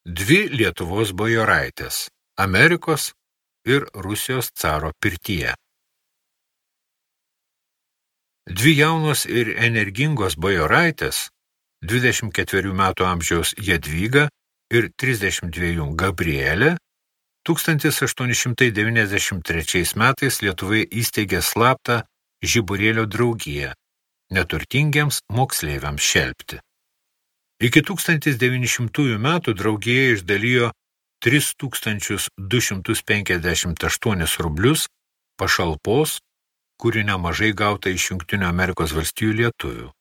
Dvi Lietuvos bajoraitės – Amerikos ir Rusijos caro pirtyje. Dvi jaunos ir energingos bajoraitės, 24 metų amžiaus Jadvyga ir 32 Gabrielė, 1893 metais Lietuvoje įsteigė slaptą Žiburėlio draugiją, neturtingiems moksleiviams šelpti. Iki 1900 metų draugija išdalijo 3258 rublius pašalpos, kuri nemažai gauta iš Jungtinių Amerikos valstijų lietuvių.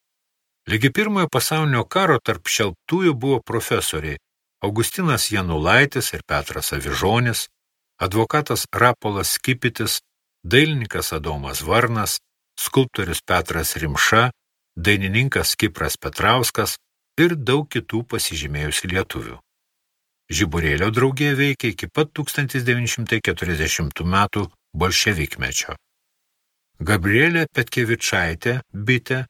Ligi pirmojo pasaulinio karo tarp šelptųjų buvo profesoriai Augustinas Janulaitis ir Petras Avižonis, advokatas Rapolas Skipitis, dailininkas Adomas Varnas, skulptorius Petras Rimša, dainininkas Kipras Petrauskas ir daug kitų pasižymėjusių lietuvių. Žiburėlio draugija veikė iki pat 1940 metų bolševikmečio. Gabrielė Petkevičaitė, bitė,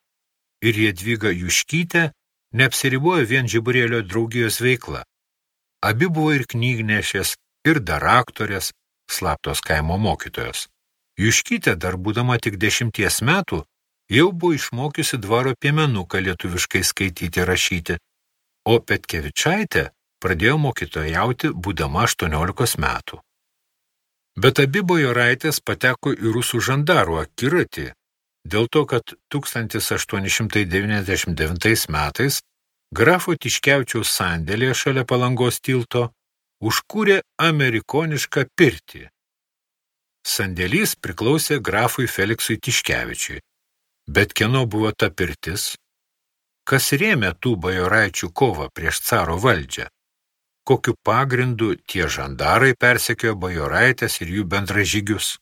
ir Jadvyga Juškytė neapsiribojo vien Žiburėlio draugijos veikla. Abi buvo ir knygnešės, ir daraktorės, slaptos kaimo mokytojos. Juškytė, dar būdama tik 10 metų, jau buvo išmokiusi dvaro piemenuką lietuviškai skaityti ir rašyti, o Petkevičaitė pradėjo mokytojauti būdama 18 metų. Bet abi bajoraitės pateko į rusų žandarų akiratį, dėl to, kad 1899 metais grafo Tiškevičiaus sandėlyje šalia Palangos tilto užkūrė amerikonišką pirtį. Sandėlys priklausė grafui Feliksui Tiškevičiui. Bet kieno buvo ta pirtis? Kas rėmė tų bajoraičių kovą prieš caro valdžią? Kokiu pagrindu tie žandarai persekiojo bajoraitės ir jų bendražygius?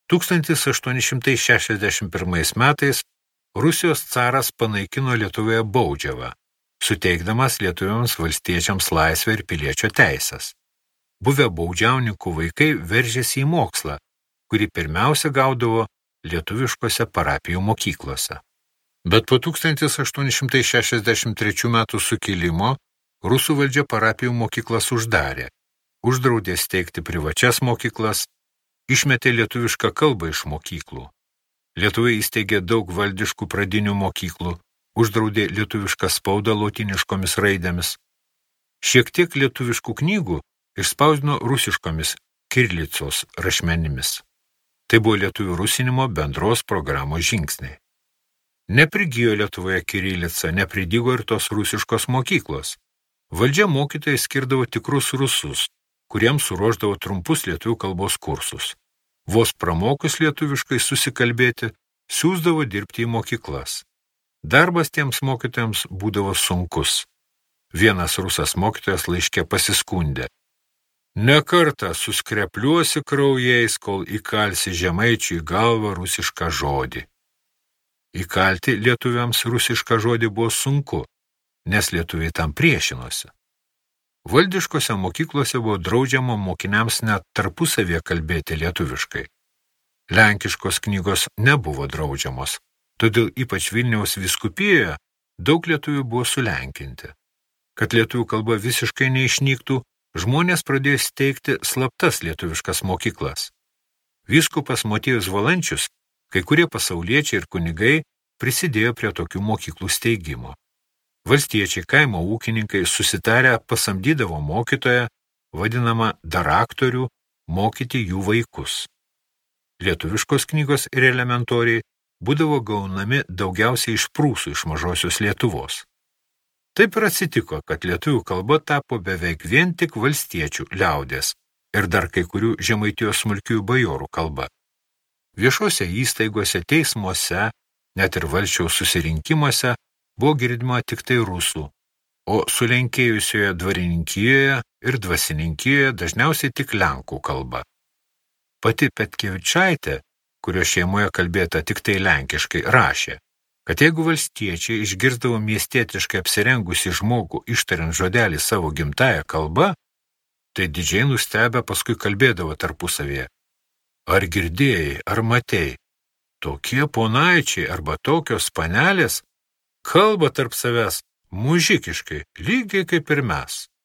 1861 metais Rusijos caras panaikino Lietuvoje baudžiavą, suteikdamas lietuviams valstiečiams laisvę ir piliečio teisės. Buvę baudžiauninkų vaikai veržėsi į mokslą, kurį pirmiausia gaudavo lietuviškose parapijų mokyklose. Bet po 1863 metų sukilimo rusų valdžia parapijų mokyklas uždarė, uždraudė steigti privačias mokyklas, išmetė lietuvišką kalbą iš mokyklų. Lietuva įsteigė daug valdiškų pradinių mokyklų, uždraudė lietuvišką spaudą lotyniškomis raidėmis. Šiek tiek lietuviškų knygų išspausdino rusiškomis kirlicos rašmenimis. Tai buvo lietuvių rusinimo bendros programos žingsniai. Neprigijo Lietuvoje kirilica, nepridygo ir tos rusiškos mokyklos. Valdžia mokytojai skirdavo tikrus rusus, kuriems suruošdavo trumpus lietuvių kalbos kursus. Vos pramokus lietuviškai susikalbėti, siųsdavo dirbti į mokyklas. Darbas tiems mokytojams būdavo sunkus. Vienas rusas mokytojas laiške pasiskundė. Ne kartą suskrepliuosi kraujais, kol įkalsi žemaičiui galvą rusišką žodį. Įkalti lietuviams rusišką žodį buvo sunku, nes lietuviai tam priešinosi. Valdiškose mokyklose buvo draudžiama mokiniams net tarpusavėje kalbėti lietuviškai. Lenkiškos knygos nebuvo draudžiamos, todėl ypač Vilniaus vyskupijoje daug lietuvių buvo sulenkinti. Kad lietuvių kalba visiškai neišnyktų, žmonės pradėjo steigti slaptas lietuviškas mokyklas. Vyskupas Motiejus Valančius, kai kurie pasauliečiai ir kunigai prisidėjo prie tokių mokyklų steigimo. Valstiečiai, kaimo ūkininkai susitarę pasamdydavo mokytoją, vadinamą daraktorių, mokyti jų vaikus. Lietuviškos knygos ir elementoriai būdavo gaunami daugiausiai iš prūsų iš mažosios Lietuvos. Taip ir atsitiko, kad lietuvių kalba tapo beveik vien tik valstiečių liaudės ir dar kai kurių Žemaitijos smulkiųjų bajorų kalba. Viešose įstaigose, teismuose, net ir valsčiaus susirinkimuose buvo girdima tik tai rusų, o sulenkėjusioje dvarininkijoje ir dvasininkijoje dažniausiai tik lenkų kalba. Pati Petkevičaitė, kurio šeimoje kalbėta tik tai lenkiškai, rašė, kad jeigu valstiečiai išgirsdavo miestietiškai apsirengusi žmogų ištariant žodelį savo gimtąją kalbą, tai didžiai nustebę paskui kalbėdavo tarpusavėje. Ar girdėjai, ar matei, tokie ponaičiai arba tokios panelės kalba tarp savęs mužikiškai, lygiai kaip ir mes.